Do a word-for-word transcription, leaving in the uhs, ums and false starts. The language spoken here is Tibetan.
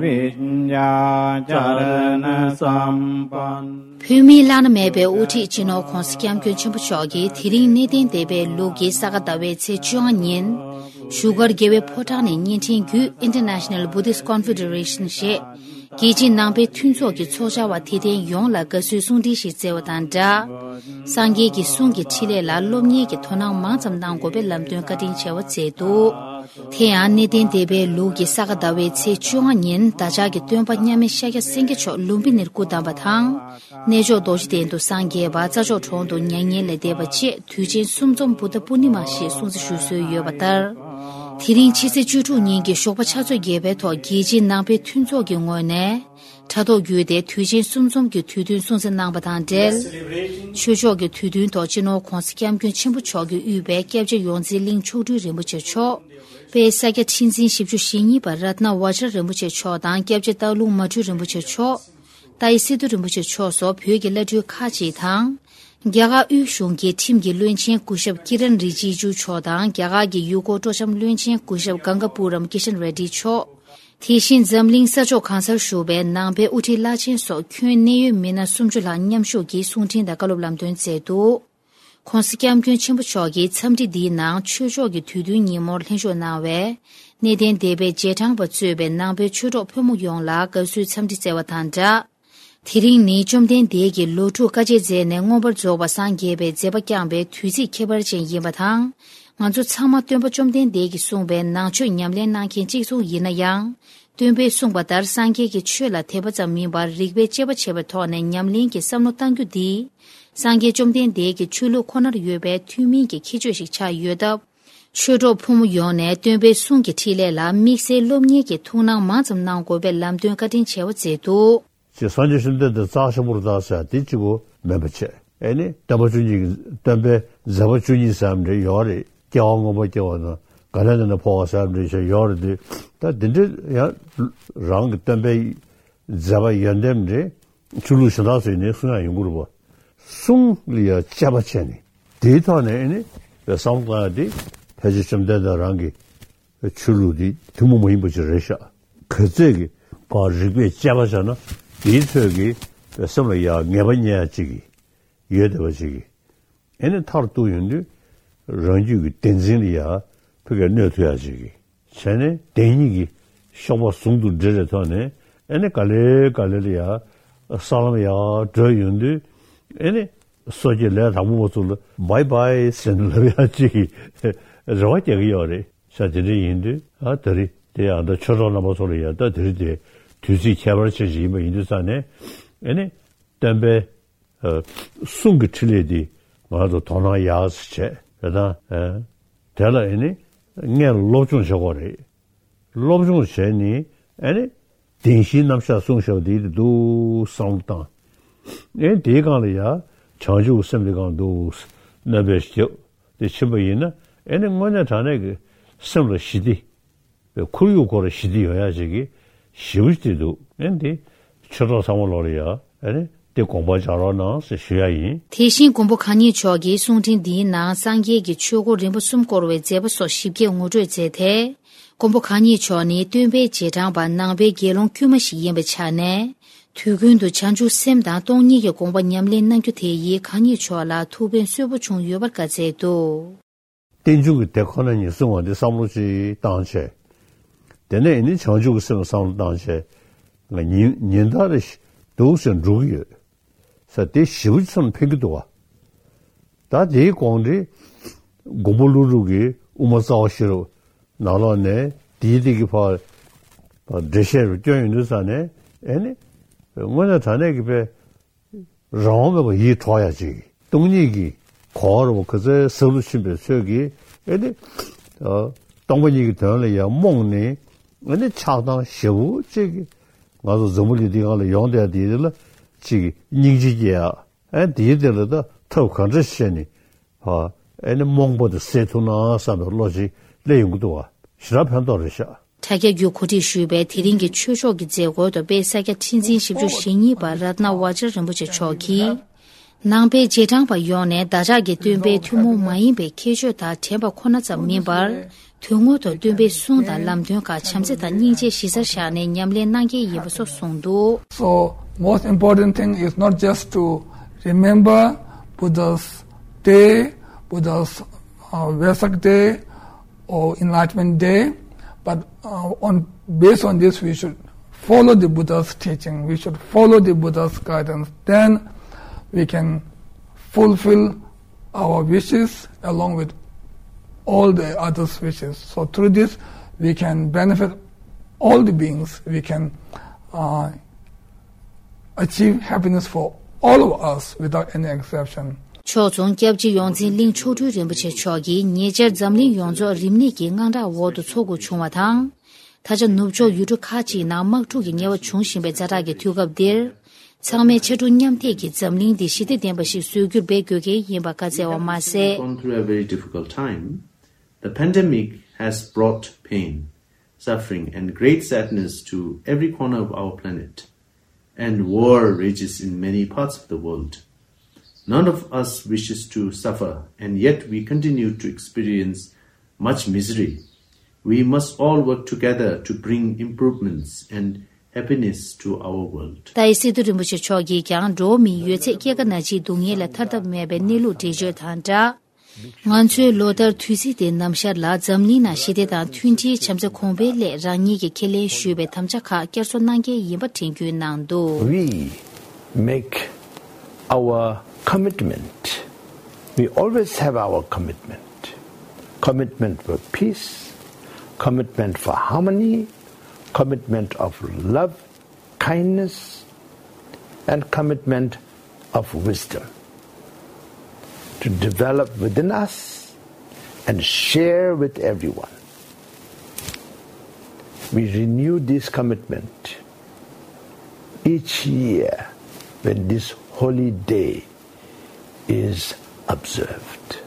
विद्याचरणसम्पन्नम्। བོད་མིའི་བླ་ན་མེད་པའི་དབུ་ཁྲིད་སྤྱི་ནོར་༧གོང་ས་༧སྐྱབས་མགོན་ཆེན་པོ་མཆོག་གིས་དེ་རིང་གནས་བརྟན་སྡེ་པའི་ལུགས་ཀྱི་ས་ག་ཟླ་བའི་ཚེས་བཅོ་ལྔ་ཉིན། བཞུགས་སྒར་རྒྱལ་བའི་ཕོ་བྲང་ནས་བརྙན་འཕྲིན་བརྒྱུད་International Buddhist Confederation ཞེས། རྒྱལ་སྤྱིའི་ནང་པའི་མཐུན་ཚོགས་ཀྱི་ཚོགས་བཅར་བ་དད་ལྡན་ཡོངས་ལ་དགའ་བསུའི་གསུང་འཕྲིན་ཞིག་སྩལ་བ་དང་སྦྲགས། སངས་རྒྱས་ཀྱི་གསུང་གི་འཕྲིན་ལས་ལ་སློབ་གཉེར་གྱི་དོ་སྣང་མང་ཙམ་གནང་དགོས་པའི་ལམ་སྟོན་བཀའ་དྲིན་ཆེ་བ་སྩལ་འདུག་དེ་ཡང་གནས་བརྟན་སྡེ་པའི་ལུགས་ཀྱི་ས་ག་ཟླ་བའི་ཚེས་བཅོ་ལྔ་ཉིན་བདག་ཅག་གི་སྟོན་པ་མཉམ་མེད་ཤཱཀྱ་སེང་གེ་མཆོག་ལུམྦི་ནིར་སྐུ་བལྟམས་པ་དང་། གནས་མཆོག་རྡོ་རྗེ་གདན་དུ་སངས་རྒྱས་པ་རྩྭ་མཆོག་གྲོང་དུ་མྱ་ངན་ལས་འདས་པ་བཅས་དུས་ཆེན་གསུམ་འཛོམས་བུདྡྷ་པུར་ནི་མ་ཞེས་སྲུང་བརྩི་ཞུ་སྲོལ་ཡོད་པ་ལྟར། དེ་རིང་ཕྱི་ཚེས་བཅུ་དྲུག་ཉིན་གྱི་ཞོགས་པ་ཕྱག་ཚོད་བརྒྱད་པའི་ཐོག་རྒྱལ་སྤྱིའི་ནང་པའི་མཐུན་ཚོགས་ཀྱི་ངོས་ནས། དྲ་ཐོག་བརྒྱུད་དེ་དུས་ཆེན་གསུམ་འཛོམས་ཀྱི་དུས་སྟོན་སྲུང་བརྩི་གནང་བ་དང་འབྲེལ། ཆོས་ཕྱོགས་ཀྱི་དུས་སྟོན་ཐོག་སྤྱི་ནོར་༧གོང་ས་༧སྐྱབས་མགོན་ཆེན་པོ་མཆོག་གིས་དབུས་པའི་སྐྱབས་རྗེ་ཡོངས་འཛིན་གླིང་མཆོག་སྤྲུལ་རིན་པོ་ཆེ་མཆོག་དཔལ་ས་སྐྱ་ཁྲི་འཛིན་བཞི་བཅུ་ཞེ་གཉིས་པ་རཏྣ་བཛྲ་རིན་པོ་ཆེ་མཆོག་དང་སྐྱབས་རྗེ་སྟག་ལུང་མ་སྤྲུལ་རིན་པོ་ཆེ་མཆོག་ཏཱའི་སི་ཏུ་རིན་པོ་ཆེ་མཆོག་སོགས་བོད་ཀྱི་བླ་སྤྲུལ་ཁག་ཅིག་དང་། རྒྱ་གར་དབུས་གཞུང་གི་ཁྲིམས་ཀྱི་བློན་ཆེན་སྐུ་ཞབས་ཀི་རན་རི་ཇི་ཇུ་མཆོག་དང་རྒྱ་གར་གྱི་ཡུལ་སྐོར་སྤྲོ་འཆམ་བློན་ཆེན་སྐུ་ཞབས་གངྒཱ་པུ་རམ་ཀི་ཤན་རེ་ཌི་མཆོག་དེ་བཞིན་འཛམ་གླིང་ས་ཕྱོགས་གང་སར་བཞུགས་པའི་ནང་པའི་དབུ་ཁྲིད་བླ་ཆེན་སོགས་ཁྱོན་གནད་ཡོད་མི་སྣ་སུམ་ཅུ་ལྷག་མཉམ་ཞུགས་ཀྱིས་གསུང་འཕྲིན་དང་བཀའ་སློབ་ལམ་སྟོན་སྩལ་འདུག ྋགོང་ས་ྋསྐྱབས་མགོན་ཆེན་པོ་མཆོག་གིས་འཚམས་འདྲི་འདིའི་ནང་ཆོས་ཕྱོགས་ཀྱི་དུས་སྟོན་ཉིན་མོར་ལྷན་ཞུགས་གནང་བའི་གནས་བརྟན་སྡེ་པའི་རྗེས་འབྲང་པ་གཙོས་པའི་ནང་པའི་ཆོས་གྲོགས་ཕོ་མོ་ཡོངས་ལ་དགའ་བསུའི་འཚམས་འདྲི་སྩལ་བ་དང་སྦྲགས། དེ་རིང་ནི་བཅོམ་ལྡན་འདས་ཀྱིས་ལོ་དྲུག་དཀའ་སྤྱད་མཛད་ནས་མངོན་པར་རྫོགས་པར་སངས་རྒྱས་པའི་མཛད་པ་བསྐྱངས་པའི་དུས་ཚིགས་ཁྱད་པར་ཅན་ཡིན་པ་དང་། ང་ཚོ་ཚང་མ་སྟོན་པ་བཅོམ་ལྡན་འདས་ཀྱིས་གསུངས་པའི་ནང་ཆོས་ཉམས་ལེན་གནང་མཁན་གཅིག་མཚུངས་ཡིན་ན་ཡང་། སྟོན་པས་གསུངས་པ་ལྟར་སངས་རྒྱས་ཀྱི་ཆོས་ལ་དད་པ་ཙམ་མིན་པར་རིགས་པའི་དཔྱད་པ་བྱས་པའི་ཐོག་ནས་ཉམས་ལེན་གྱི་བསམ་བློ་གཏང་རྒྱུ་འདིས། སངས་རྒྱས་བཅོམ་ལྡན་འདས་ཀྱི་ཆོས་ལུགས་ཁོ་ནར་ཡོད་པའི་ཐུན་མིན་གྱི་ཁྱད་ཆོས་ཤིག་ཆགས་ཡོད་སྟབས། ཆོས་གྲོགས་ཕོ་མོ་ཡོངས་ནས་སྟོན་པའི་གསུང་གི་འཕྲིན་ལས་ལ་དམིགས་བསལ་སློབ་གཉེར་གྱི་ཐུགས་སྣང་མང་ཙམ་གནང་དགོས་པའི་ལམ་སྟོན་བཀའ་དྲིན་ཆེ་བ་མཛད་འདུག་ཅེས་སངས་རྒྱས་བཅོམ་ལྡན་འདས་རྩ་ཆེན་པོར་བལྟ་ཟེར་དེ་གཅིག་པོ་མིན་པ་བྱས། ཨེ་ནི་སྟོན་པ་བཅུ་གཉིས་ཀྱི་སྟོན་པའི་མཛད་པ་བཅུ་གཉིས་ཟེར་ཡ་འདྲ་ཡོད་རེད། སྐྱེ་བ་སྔོན་པོ་སྐྱེ་བ་དང་ག་ལེ་ནས་འཕོ་བ་ཟེར་ཡ་འདྲ་ཡོད་རེད་དེ། ད་དེ་འདྲའི་ཡང་རང་གི་སྟོན་པའི་མཛད་པ་ཡོན་ཏན་འདྲ་ཆོས་ལུགས་གཞན་དག་ཚོས་ནི་གསུང་ཡ་ཡོང་གི་རེད་པ། གསུང་ལ་ཡ་དཔྱད་པ་བྱས་ནས་དེའི་ཐོག་ནས་ཨེ་ནི་བསམ་བློ་བཏང་ཡ་དེ་ཕལ་ཆེར་བཅོམ་ལྡན་འདས་རང་གི་ཆོས་ལུགས་འདི་ཐུན་མོང་མ་ཡིན་པ་ཅིག་རེད་ཤག་ག་ཚད་ཀྱི་བར་རིགས་པས་དཔྱད་པ་བྱས་ན་དེའི་ཚོད་ཀྱི་སེམས་ལ་ཡ་ངེས་པ་རྙེད་ཡ་ཅིག་གི་ཡོད་བསྡད་པ་ཅིག་གི་ཨེ་ནི་མཐར་གཏུགས་ཡོང་དུས་རང་རྒྱུད་ཀྱི་བདེན་འཛིན་ལ་ཡ་ཕ་གིར་གནོད་ཐུབ་ཡ་ཅིག་གི་བྱས་ནས་བདེན་གཉིས་ཀྱི་གཤོག་པ་ཟུང་དུ་འབྲེལ་བའི་ཐོག་ནས་ཨེ་ནི་ག་ལེ་ག་ལེ་ལ་ཡ་ས་ལམ་ཡ་བགྲོད་ཡོང་དུས་ཨེ་ནི་སོ་སྐྱེ་ལས་དང་པོ་པ་ཚོ་ལ་བའི་བའི་ཟེར་ནས་ལབ་ཡ་ཅིག་གི་རེ་བ་རྒྱག་གི་ཡོད་རེད་ཤག་དེ་འདྲ་ཡིན་དུས་ཨ་དེ་རིང་དེ་ཡང་ད་ཆོས་གྲོགས་རྣམ་པ་ཚོ་ལ་ཡང་ད་དེ་རིང་དེ་དུས་ཚིགས་ཁྱད་པར་ཅན་ཞིག་ཡིན་པ་ཡིན་དུས་ཙང་ནས་ཨེ་ནི་སྟོན་པའི་ཨ་གསུང་གི་འཕྲིན་ལས་འདི་ང་ཚོ་དོ་སྣང་ཡག་ཙམ་བྱས་རེད་ད། ཨ་དེ་ལ་ཨེ་ནི་སྔོན་ལ་སློབ་སྦྱོང་བྱེད་དགོས་རེད། སློབ་སྦྱོང་བྱས་ནས་ཨེ་ནི་བདེན་བཞིའི་རྣམ་གཞག་གསུངས་བཞག་པ་དེ་འདུག་བསམ་བློ་བཏང་། ཨེ་དེའི་སྒང་ལ་ཡ་བྱང་ཆུབ་སེམས་དེ་སྒང་འདུག་གནོད་པའི་ཞི་བདེ་དེ་ཕྱིན་པ་ཡིན་ན་ཨེ་ནི་དངོས་གནས་དྲང་གནས་ཀྱི་སེམས་ལ་ཞི་བདེ་བའི་ཁོར་ཡུག་ཁོ་ར་ཞི་བདེ་ཡོང་ཡ་ཞིག་གི་ཞེ་པོ་ཅིག་འདུག་ཨེ་འདི་ཆོས་གྲོགས་ཚང་མ་ལོག་ལ་ཡ་ཨེ་ནི་དེ་དགོངས་པ་འཇགས་རོགས་གནང་ཟེར་ཞུ་ཡ་ཡིན། དེ་བཞིན་མགོན་པོ་གང་ཉིད་མཆོག་གིས་གསུང་འཕྲིན་འདིའི་ནང་སངས་རྒྱས་ཀྱི་ཆོས་འཁོར་རིམ་པ་གསུམ་བསྐོར་བའི་མཛད་པ་སོགས་ཞིབ་རྒྱས་ངོ་སྤྲོད་མཛད་དེ། མགོན་པོ་གང་ཉིད་མཆོག་ནི་སྟོན་པའི་རྗེས་འབྲང་པ་ནང་པའི་དགེ་སློང་དཀྱུས་མ་ཞིག་ཡིན་པའི་ཆ་ནས། དུས་ཀུན་ཏུ་བྱང་ཆུབ་སེམས་དང་སྟོང་ཉིད་ཀྱི་དགོངས་པ་ཉམས་ལེན་གནང་རྒྱུ་དེ་ཡིས་གང་ཉིད་མཆོག་ལ་ཐུགས་ཕན་གསོས་པོ་བྱུང་ཡོད་པར་བཀའ་སྩལ་འདུག་རྟེན་འབྱུང་གི་དེ་ཁོ་ན་ཉིད་གསུང་བ་འདི་བསམ་བློ་ཅིག་བཏང་བྱས། དེ་ནས་ཨེ་ནི་བྱང་ཆུབ་ཀྱི་སེམས་བསམ་བློ་བཏང་བྱས། ང་ཉིན་ཉིན་ལྟར་རེ་འདུག་སེ་འགྲོ་གི་ཡོད་ས་དེ་ཞེ་པོ་ཅིག་ཚང་ཕན་གྱི་འདུག་བ། ད་དེའི་གོང་འདི་མགོན་པོ་ཀླུ་སྒྲུབ་ཀྱི་དབུ་མ་རྩ་བ་ཤེས་རབ་ནང་ལོགས་ནས་དེའི་སྟེང་གི་ཕར་འགྲེལ་བཤད་རུ་བསྐྱོན་ཡོང་དུས་ཙང་ནས་ཨེ་ནི་དངོས་གནས་དྲང་གནས་ཀྱི་དཔེ། རང་དབང་མེད་པར་ཡིད་འཕྲོག་ཡ་ཅིག་སྟོང་ཉིད་ཀྱི་གོ་བ་རུ་ག་ཚོད་ཟབ་ཏུ་ཕྱིན་པའི་ཚོད་ཀྱིས་ཨེ་ནི། སྟོང་པ་ཉིད་ཀྱི་དོན་ལ་ཡང་རྨོངས་ནས་ཨེ་ནི་ཆགས་སྡང་ཞེ་པོ་ཅིག་གིས་ང་ཚོ་འཛམ་བུ་གླིང་འདི་སྒང་ལ་ཡོང་བསྡད་དེ་ལ་ཅིག་སྙིང་རྗེ་སྐྱེ་ཡ་ཨེ་དེའི་དེ་ལ་ད་ཐབས་ག་འདྲ་བྱས་ནས་ཨེ་ནི་རྨོངས་པ་དེ་སེལ་ཐུབ་ན་བསམ་པའི་བློ་ཅིག་སླེབས་ཡོང་གི་འདུག་བ་ཞེ་དྲག་ཕན་ཐོགས་རེད་ཤག་དྲ་རྒྱ་བརྒྱུད་གོ་སྒྲིག་ཞུས་པའི་དེ་རིང་གི་ཆོས་ཕྱོགས་ཀྱི་མཛད་སྒོའི་ཐོག་དཔལ་ས་སྐྱ་ཁྲི་འཛིན་བཞི་བཅུ་ཞེ་གཉིས་པ་རཏྣ་བཛྲ་རིན་པོ་ཆེ་མཆོག་གིས། ནང་པའི་རྗེས་འབྲང་པ་ཡོངས་ནས་བདག་ཅག་གི་སྟོན་པའི་ཐུན་མོང་མ་ཡིན་པའི་ཁྱད་ཆོས་དང་དྲན་པ་ཁོ་ན་ཙམ་མིན་པར། དོན་དངོས་ཐོག་སྟོན་པའི་གསུང་དང་ལམ་སྟོན་ཁག་བྱམས་བརྩེ་དང་སྙིང་རྗེ་གཞི་རྩར་བཞག་ནས་ཉམས་ལེན་གནང་གལ་ཡིན་པ་སོགས་གསུངས་འདུག། So, most important thing is not just to remember Buddha's day, Buddha's uh, Vesak day, or Enlightenment Day, but uh, on based on this, we should follow the Buddha's teaching. We should follow the Buddha's guidance. Then we can fulfill our wishes along with all the others' wishes. So through this, we can benefit all the beings. We can uh, achieve happiness for all of us without any exception. ཕྱོགས་མཚུངས་སྐྱབས་རྗེ་ཡོངས་འཛིན་གླིང་མཆོག་སྤྲུལ་རིན་པོ་ཆེ་མཆོག་གིས་ཉེ་ཆར་འཛམ་གླིང་ཡོངས་རྫོགས་རིམས་ནད་ཀྱི་དངངས་སྐྲག་འོག་ཏུ་འཚོ་དགོས་བྱུང་བ་དང་། ད་ཆ་ནུབ་ཕྱོགས་ཡུལ་གྲུ་ཁག་ཅིག་ནང་དམག་འཁྲུག་གི་ཉེན་བ་འབྱུང་བཞིན་པའི་ཛ་དྲག་གི་དུས་སྐབས་འདིར། ཚང་མས་ཕྱར་གྲུ་མཉམ་འདེགས་ཀྱིས་འཛམ་གླིང་འདི་ཞི་བདེ་ལྡན་པ་ཞིག་བཟོ་རྒྱུར་འབད་དགོས་ཀྱི་ཡིན་པ་བཀའ་སྩལ་བ་མ་ཟད། Gone through a very difficult time. The pandemic has brought pain, suffering, and great sadness to every corner of our planet. And war rages in many parts of the world. None of us wishes to suffer, and yet we continue to experience much misery. We must all work together to bring improvements and happiness to our world. ཏཱའི་སི་ཏུ་རིན་པོ་ཆེ་མཆོག་གིས་ཀྱང་འགྲོ་བ་མིའི་ཡོད་ཚད་སྐྱེད་ཀ་ན་འཆིའི་སྡུག་བསྔལ་ལས་ཐར་ཐབས་མེད་པའི་གནས་ལུགས་འགྲེལ་བརྗོད་དང་སྦྲགས། ང་ཚོའི་ལོ་ལྟར་དུས་ཚིགས་དེའི་ནམ་ཞར་ལ་འཛམ་གླིང་ནང་ཞི་བདེ་དང་མཐུན་སྒྲིལ་བྱམས་བརྩེ་གོང་འཕེལ་སླད་རང་ཉིད་ཀྱིས་ཁས་ལེན་ཞུས་པའི་དམ་བཅའ་ཁག་བསྐྱར་གསོ་གནང་གལ་ཡིན་པ་དྲན་སྐུལ་གནང་འདུག། We make our commitment. We always have our commitment. Commitment for peace, commitment for harmony, commitment of love, kindness, and commitment of wisdom to develop within us and share with everyone. We renew this commitment each year when this holy day is observed.